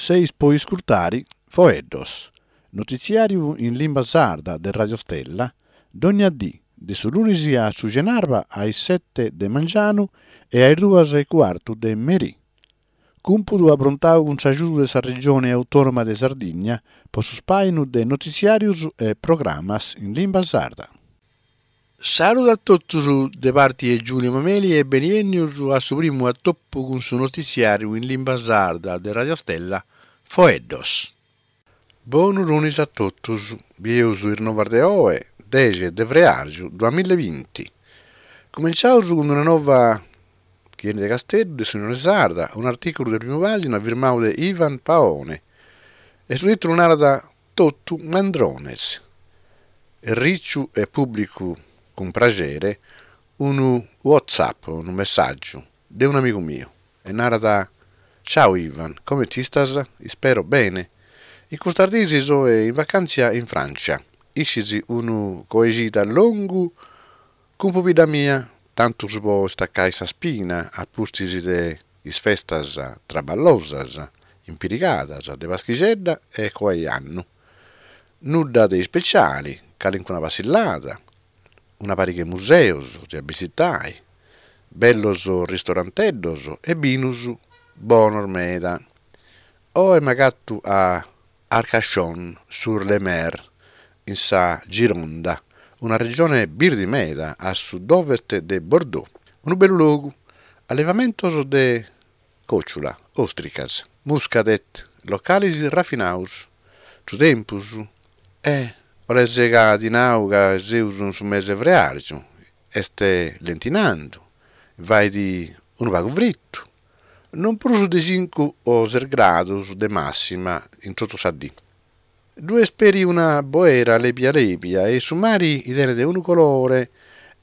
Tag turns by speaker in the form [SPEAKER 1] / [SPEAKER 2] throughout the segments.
[SPEAKER 1] Seis po iscurtare Foeddos, notitziàriu in limba sarda de Radio Stella, dogna dì, de su lunis a su cenarba a is sete de mangianu e a is duas e cuartu de merì. Cumpudu aprontau cun s'agiudu de sa Regione Autònoma de Sardigna po su spàinu de notitziàrios e programas in limba sarda. Saludu a totus de parti 'e Giulio Mameli e beniènnius a su primu atopu cun su notitziàriu in limba sarda de Radio Stella, Foeddos. Bonu lunis a totus, bieus is novas de oe, dexe de freàrgiu duamillabinti. Cumenciaus cun una nova chi 'enit de Casteddu, de s'Unione Sarda, un'artìculu de primu pàgina firmau de Ivan Paone e su tìtulu narat Totu mandrones. Erriciu e pùblicu cun praxere unu whatsapp, unu messàgiu, de un'amigu miu e narat, Ciao Ivan, comente istas? Ispero bene. In custas dies soe in vacàntzia in Frància. Iscis unu coexida longu cun pubidda mia, tantus po istacai sa spina a pustis de is festas traballosas, impirigadas, de Paschixedda e coa 'e annu. Nudda de ispeciali, calincuna passillada, una pariga 'e museus de abisitai, bellos ristoranteddos e binus bonos meda. Oe m'agattu a Arcachon sur le Mer, in sa Gironda, una regione birdi meda a sud-ovest de Bordeaux. Unu bellu logu, allevamentos de còciula, òstricas, muscadet, localis rafinaus. Su tempus? Eh, 'oles ca ti nau ca seus in su mese 'e freàrgiu, est lentinandu, fait unu pagu fritu, non prus de cincu o ses gradus de màssima in totu sa dì. Ddu est peri una boera lèbia lèbia e su mari tenet unu colore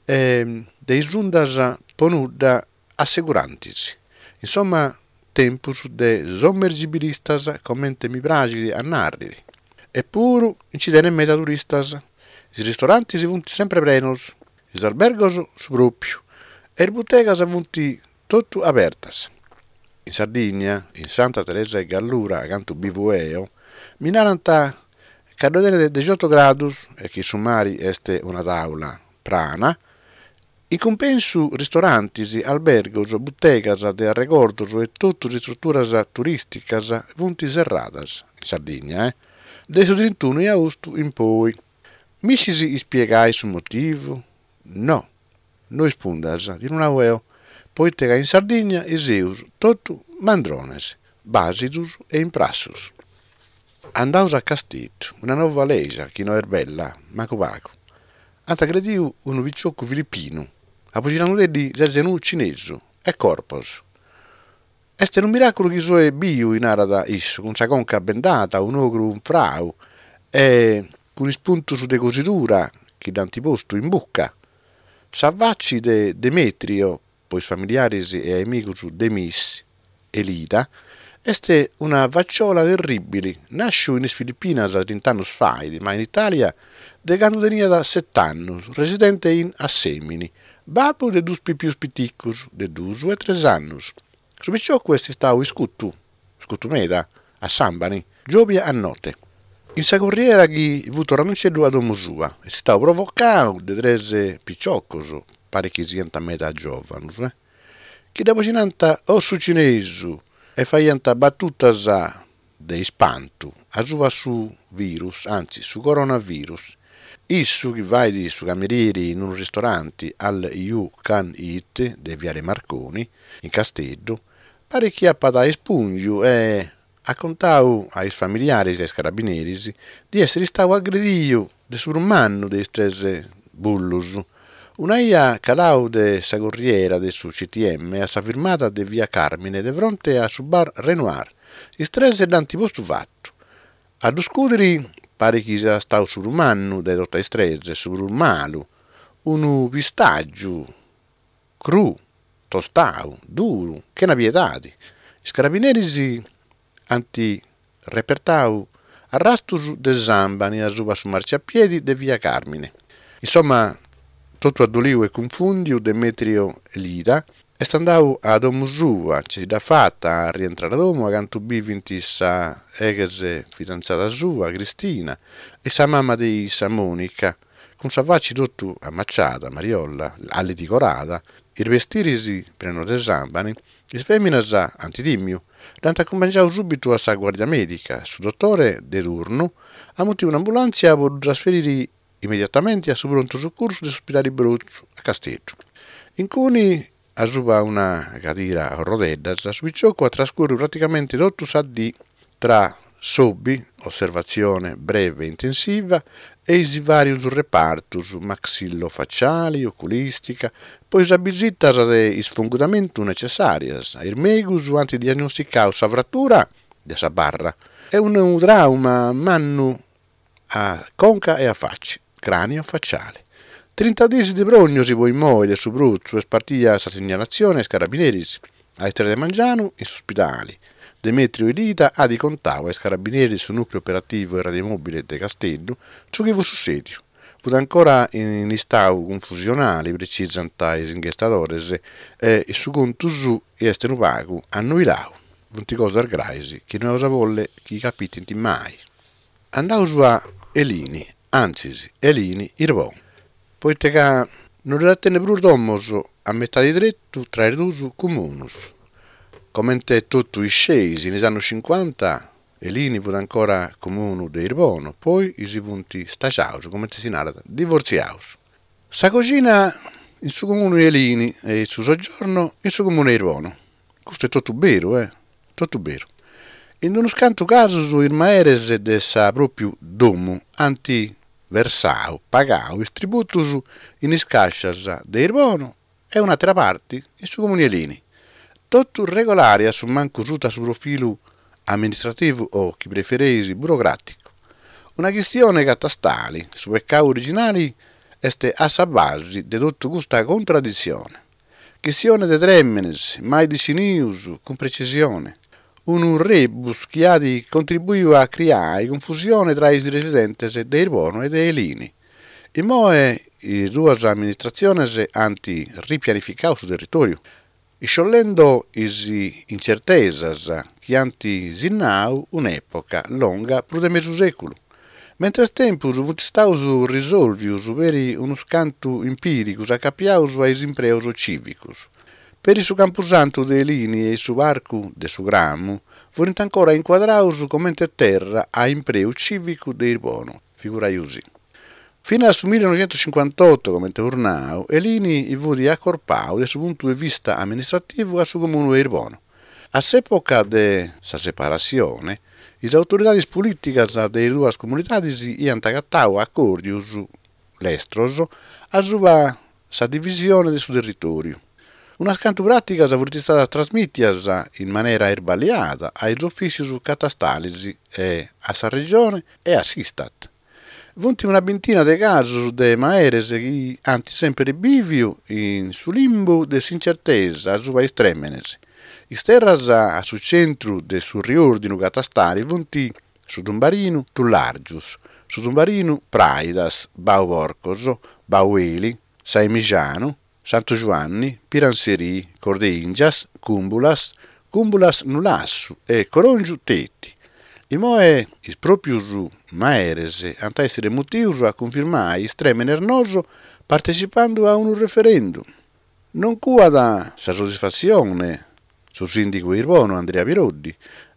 [SPEAKER 1] de is undas po nudda assegurantis. Insomma tempus de sommergibilistas comente mi praxit a nàrriri. Epuru nci tenet meda turistas. Is ristorantis funt sempre prenos, is albergos su pròpiu e is butegas funt Totu abertas. In Sardigna, in Santa Teresa 'e Gallura, acantu bivu eo, mi narant ca ddoe tenet dexioto gradus e chi su mari est una tàula prana. In cumpensu ristorantis, albergos, butegas de arregordos e totus is istruturas turìsticas funt serradas, in Sardigna, eh, de su trintunu 'e austu in poi. Mi scis ispiegai su motivu? No. No ispundas, ti lu nau eo, poite ca in Sardigna seus totu mandrones, bàsidus e imprassus. Andaus a Casteddu, una nova lègia chi no est bella, mancu pagu. Ant agrediu unu piciocu filipinu, aboxinandudeddi ses unu cinesu, a corpos. Est unu miràculu chi soe biu, narat issu, cun sa conca bendada, un'ogru unfrau e cun is puntus de cosidura chi dd'ant postu in buca. Sa faci de Demetrio, po is familiaris e amigus Demis Elida, est una faciola terribili, nàsciu in is Filipinas trint'annus fait, ma in Itàlia de candu teniat set'annus, residente in Assemini, Babbu de dus pipius piticus, de dus e tres annus. Su piciocu est istau iscutu, iscutu meda, a sàmbani, giòbia a note. In sa corriera chi fut torrandunceddu a domu sua, est istau provocau de tres piciocos, parit chi siant meda giòvanus, chi dd'aboxinànt o su cinesu e faiant batutas de ispantu asuba su virus, antzis su coronavirus. Issu, chi fait su camerieri in unu ristoranti All You Can Eat de Viale Marconi, in Casteddu, parit chi apat ispùngiu e at contau a is familiaris e a is carabineris di èssiri istau agrediu de su prus mannu de is tres bullus, una 'ia calau de sa corriera de su CTM a sa firmada de via Carmine de fronte a su bar Renoir, is tres dd'ant postu fatu. A ddu scudiri parit chi siat stau su prus mannu de totu is tres, su prus malu, unu pistàgiu cruu, tostau, duru, chena piedadi. Is carabineris ant repertau arrastus de sàmbani asuba su marciapiedi de via Carmine. Insomma, totu addoliu e cunfùndiu Demetrio Elida. Est andau a domu sua, nci dd'at fata a rientrare a domu acantu bivint sa ex fidantzada sua, Cristina, e sa mama de issa, Monica, cun sa faci totu amaciada, Mariolla, allitigorada, is bestiris prenus de sàmbani, is fèminas ant tìmiu, dd'ant acumpangiau subitu a sa guardia mèdica, su dotore de turnu at mutiu un'ambulàntzia po ddu trasferiri immediatamenti a su prontu sucursu de s'uspidali Brotzu, a Casteddu. Incuni, asuba una cadira a orrodeddas, su piciocu at trascurriu praticamenti totu sa dì tra s'Obi, osservatzione breve intensiva, e is vàrius repartus, maxillo-faciali, oculistica, po is abisitas de isfungudamentu necessàrias. Is mèigus ant diagnosticau sa fratura de sa barra e unu tràuma mannu a conca e a faci, cranio faciale. Trinta diis de prognosi po immoi de su Brotzu est partia sa signalatzione a is carabineris. A is tres de mangianu, in s'uspidali, Demetrio Elita at contau a is carabineris de su nucleu operativu e radiomobile de Casteddu su chi fut sussediu. Fut ancora in istau cunfusionali, precisant is inghestadores, e su contu suu est unu pagu annuilau. Funt cosas grais chi no eus a bolli chi capitint mai. Andaus a Elini, antzis Elini Irbono, poita ca no ddoi at tenni prus domos a metadi tretu tra is duus comunus. Comente totu isceis, in is annus cincuanta Elini fut ancora comunu de Irbono, poi si funt staxaus, comente si narat, divortziaus. Sa coxina in su comunu 'e Elini e su soggiorno in su comunu 'e Irbono. Custu est totu beru, eh! Totu beru. In unus cantu casos is maeres de sa pròpiu domu ant versau, pagau, is tributus in is càscias de Irbono e un'àtera parti in su Comunu 'e Elini. Totu regolare a su mancu suta su profilu amministrativu o, chi prefereis, burocràticu. Una chistione catastali, su pecau originali est a sa basi de totu custa contradditzione. Chistione de trèmenes mai dissinius cun precisione. Unu rebus chi at contribuiu a criai confusione tra is residentes de Irbono e de Elini. Immoe is duas amministratziones ant ripianificau su territòriu, isciollendo is incertesas chi ant sinnau un'època longa prus de mesu sèculu. Mentres tempus funt istaus risòlvius peri unus cantu impìrigus acapiaus a is impreos cìvicos. Peri su Campusantu de Elini e su Parcu de su Cramu furint ancora incuadraus comente terra a impreu cìvicu de Irbono, figuraiusì. Finas a su millinoixentuscincuantotu, comente eus nau, Elini fut acorpau de su puntu de vista amministrativu a su comunu de Irbono. A s'època de sa separatzione, is autoridades polìticas de is duas comunidades iant agatau acòrdios lestros asuba sa divisione de su territòriu. Unas cantu pràticas funt istadas trasmìtias in manera irballiada a is ofìtzios catastales e a sa Regione e a s'Istat. Funt una bintina de casos de maeres chi ant semper bìviu in su limbu de s'incertesa asuba is trèmenes. Is terras a su centru de su riòrdinu catastale funt su Tumbarinu Tullàrgius, su Tumbarinu Pràidas, Bau Porcos, Bau Eli, Saemixanu, Santu Giuanni, Piranserì, Cordeingias, Cumbulas, Cumbulas Nulassu e Coròngiu Teti. Immoe is pròpius maeres ant a èssere mutius a cunfirmai is trèmenes noos partecipandu a unu referendum. Non cuat sa soddisfatzione su sìndigu 'e Irbono Andrea Piroddi,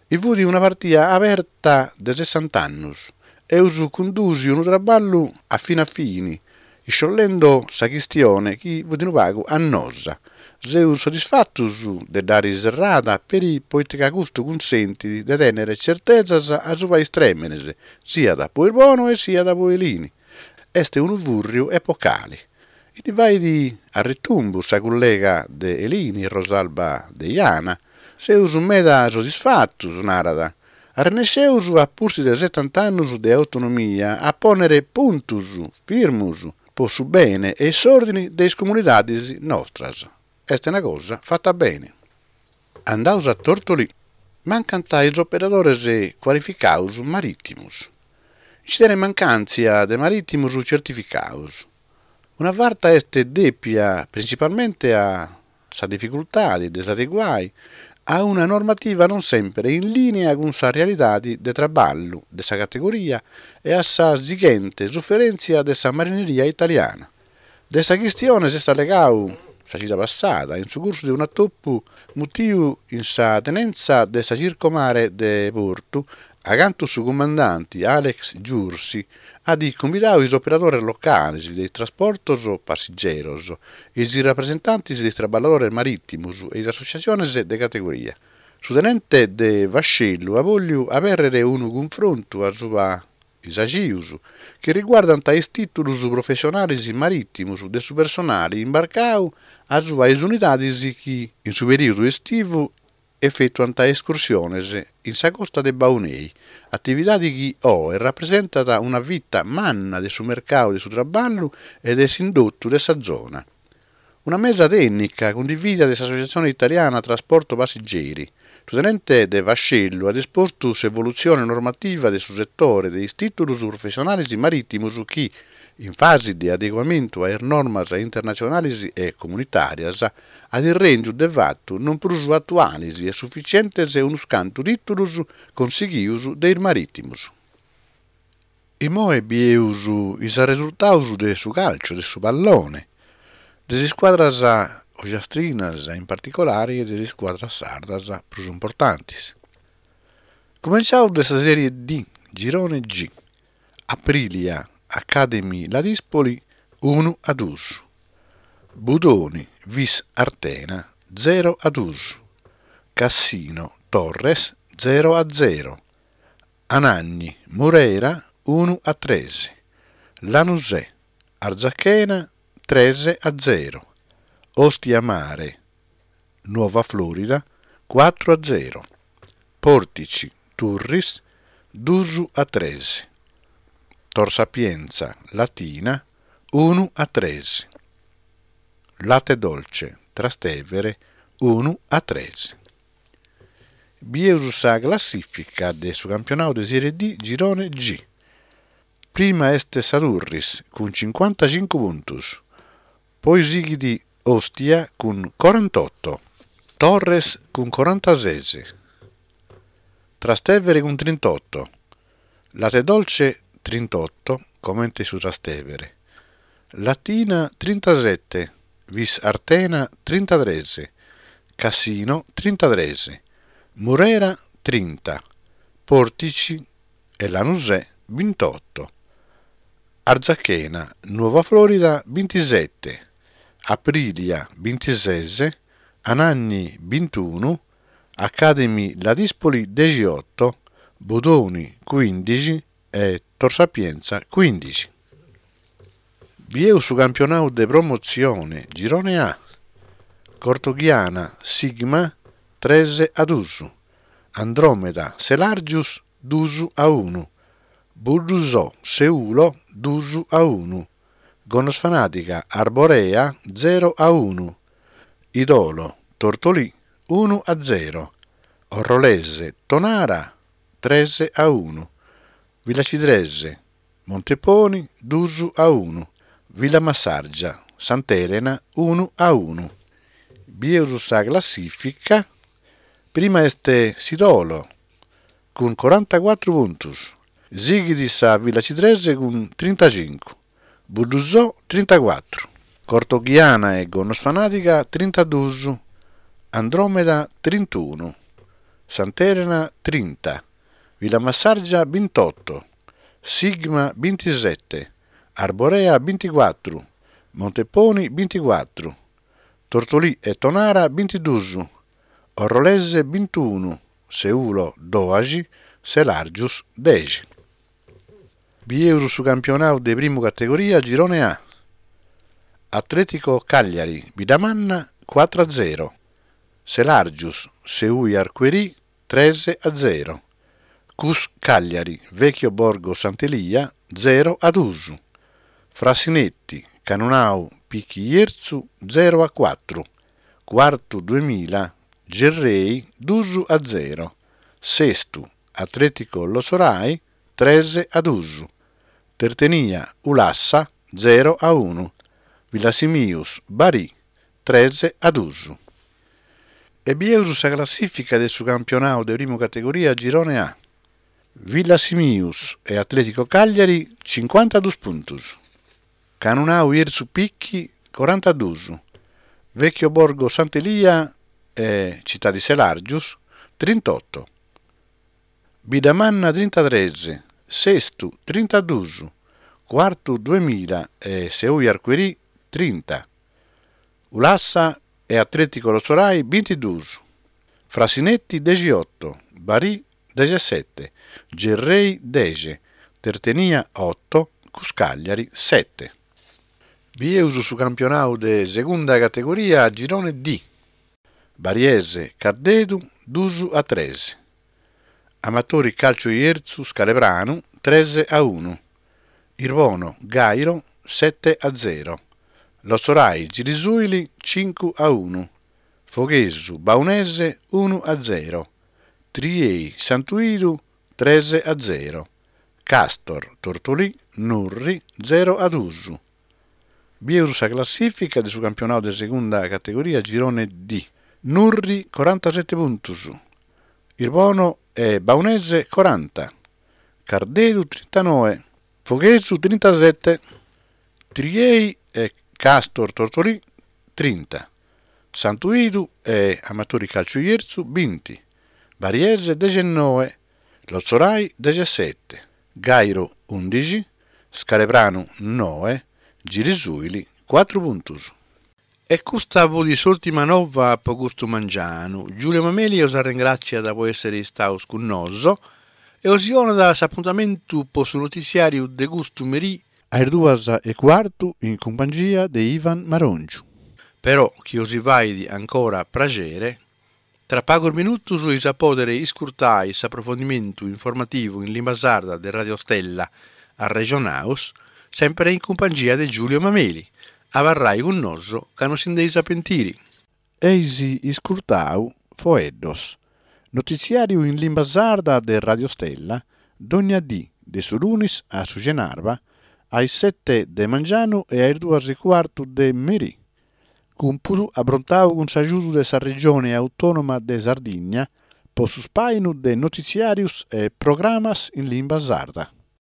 [SPEAKER 1] I fut una partia aberta de sessant'annus. Eus cundùsiu unu traballu a fini a fini, isciollendo sa chistione chi fut unu pagu annosa. Seus soddisfatus de dd'àiri serrada peri poita ca custu cunsentit de tènnere certesas asuba is trèmenes, siat po Irbono e siat po Elini. Est unu fùrriu epocali. Ndi fait arretumbu sa cullega de Elini, Rosalba Deiana. Seus meda soddisfatus, narat. Arrennesceus, a pustis de setant'annus de autonomia, a pònnere puntus firmus po su bene e s'òrdini de is comunidadis nostras. Est una cosa fata bene. Andaus a Tortolì. Mancant is operadores cualificaus marìtimus. Nci tenet mancàntzia de marìtimus certificaus. Una farta est dèpia printzipalmente a. sa dificultade de s'adeguai a una normativa non semper in lìnea cun sa realidade de traballu de sa categoria e a sa sighente suferèntzia de sa marineria italiana. De sa chistione s'est allegau sa cida passada in su cursu de un'atopu mutiu in sa tenenza de sa Circomare de Portu, acantu su cumandanti Alex Giursi at cumbidau is operadores locales de is trasportos passigeros, is rapresentantes de is traballadores marìtimos e is assotziatziones de categoria. Su tenente de vascellu at bòlliu abèrrere unu cunfrontu a suba is agius chi riguardant is tìtulos professionales marìtimos de su personale imbarcau a suba is unidades chi in su perìodu estivu efetuant escursiones in sa costa de Baunei, atividade chi oe rapresentat una fita manna de su mercadu de su traballu e de s'indotu de sa zona. Una mesa tènnica cundivìdia de s'Associazione Italiana Trasporto Passeggeri. Su tenente de vascellu at espostu s'evolutzione normativa de su setore de is tìtulos professionales marìtimos chi, in fase de adeguamentu a is normas internatzionales e comunitàrias, at rèndiu de fatu non prus atuales e sufitzientes unos cantu tìtulos consighidos de is marìtimos. Immoe bieus is arresurtaus de su càlciu, de su pallone, de is iscuadras ogiastrinas in particolari e de is iscuadras sardas prus importantis. Cumentzaus de sa Serie D, Girone G, Aprilia Academy Ladispoli unu a dus, Budoni Vis Artena zero a dus, Cassino Torres zero a zero, Anagni, Murera unu a tres, Lanusè, Arzachena tres a zero, Ostia Mare, Nuova Florida cuatru a zero, Portici, Turris dus a tres, Tor Sapienza, Latina unu a tres, Latte Dolce, Trastevere unu a tres. Bieus sa classìfica de su campionau de Serie D Girone G. Prima est sa Turris cun cincuantacincu puntus, poi sighit Ostia cun corantoto, Torres cun corantases, Trastevere cun trintoto, Latte Dolce trintoto, comente su Trastevere, Latina trintasete, Vis Artena trintatres, Cassino trintatres, Murera trinta, Portici e Lanusè bintoto, Arzachena, Nuova Florida bintisete, Aprilia bintises, Anagni bintunu, Academy Ladispoli dexioto, Budoni cuindixi e Tor Sapienza cuindixi. Bieus su campionau de Promotzione, Girone A, Cortoghiana Sigma tres a dus, Andromeda Selargius dus a unu, Buddusò Seulo dus a unu, Gonnosfanadiga Arborea zero a unu, Idolo Tortolì unu a zero, Orrolese Tonara tres a unu, Villacidrese Monteponi dus a unu, Villamassargia Sant'Elena unu a unu. Bieus sa classìfica, prima est s'Idolo cun corantacuatru puntus, sighit sa Villacidrese cun trintacincu, Buddusò trintacuatru, Cortoghiana e Gonnosfanadiga trintadus, Andromeda trintunu, Sant'Elena trinta, Villamassargia bintoto, Sigma bintisete, Arborea binticuatru, Monteponi binticuatru, Tortolì e Tonara bintidus, Orrolese bintunu, Seulo doaxi, Selargius dexi. Bieus su campionau de primu categoria Girone A. Atletico Cagliari Biddamanna cuatru a zero, Selargius Seui Arcuerì tres a zero, Cus Cagliari Vecchio Borgo Sant'Elia zero a dus, Frassinetti Cannonau Pichi Jerzu zero a cuatru, Cuartu duemila Gerrei dus a zero, Sestu Atletico Lotzorai tres a dus, Tertenia Ulassa zero a unu, Villasimius Barì tres a dus. E bieus sa classìfica de su campionau de primu categoria Girone A. Villasimius e Atletico Cagliari cincuantadus puntus, Cannonau Jerzu Picchi corantadus, Vecchio Borgo Sant'Elia e Città di Selargius trintoto, Biddamanna trintatres, Sestu trintadus, Cuartu duemila e Seui Arcuerì trinta, Ulassa e Atletico Lotzorai bintidus, Frassinetti dexioto, Barì dexessete, Gerrei dexe, Tertenia oto, Cus Cagliari sete. Bieus su campionau de segunda categoria girone D. Bariese Cardedu dus a tres. Amatori Calcio Jerzu Scalepranu tres a unu. Irbono Gairo sete a zero. Lotzorai Gilisuili cincu a unu. Foghesu Baunese unu a zero. Triei Santu 'Idu tres a zero, Castor Tortolì Nurri zero a dus. Bieus sa classìfica de su campionau de segunda categoria girone D, Nurri corantasete puntus, Irbono e Baunese coranta, Cardedu trintanoe, Foghesu trintasete, Triei e Castor Tortolì trinta, Santu 'Idu e Amatori Calciu Jerzu binti, Bariese dexennoe, Lotzorai dexessete, Gairo undixi, Scalepranu noe, Gilisuili cuatru puntus. E custa fut s'ùrtima nova po custu mangianu. Giulio Mameli os arrengràtziat po èssere istaos cun noso e os donat s'apuntamentu po su notitziàriu de custu merì A is duas e cuartu in cumpangia de Ivan Marongiu. Però chi osi fait ancora praxere, tra pagus minutus eis a pòdere iscurtai s'aprofondimentu informativu in limba sarda de Radio Stella Arrexonaus, sèmpere in cumpangia de Giulio Mameli. Abarrai cun nosu ca non si nd'eis a pentiri. Eis iscurtau Foeddos, notitziàriu in limba sarda de Radio Stella, dònnia dì de su lunis a su cenarba a is sete de mangianu e a is duas e cuartu de merì. Cumpudu abrontau cun s'agiudu de sa Regione Autònoma de Sardigna po su spàinu de notitziàrius e programas in limba sarda.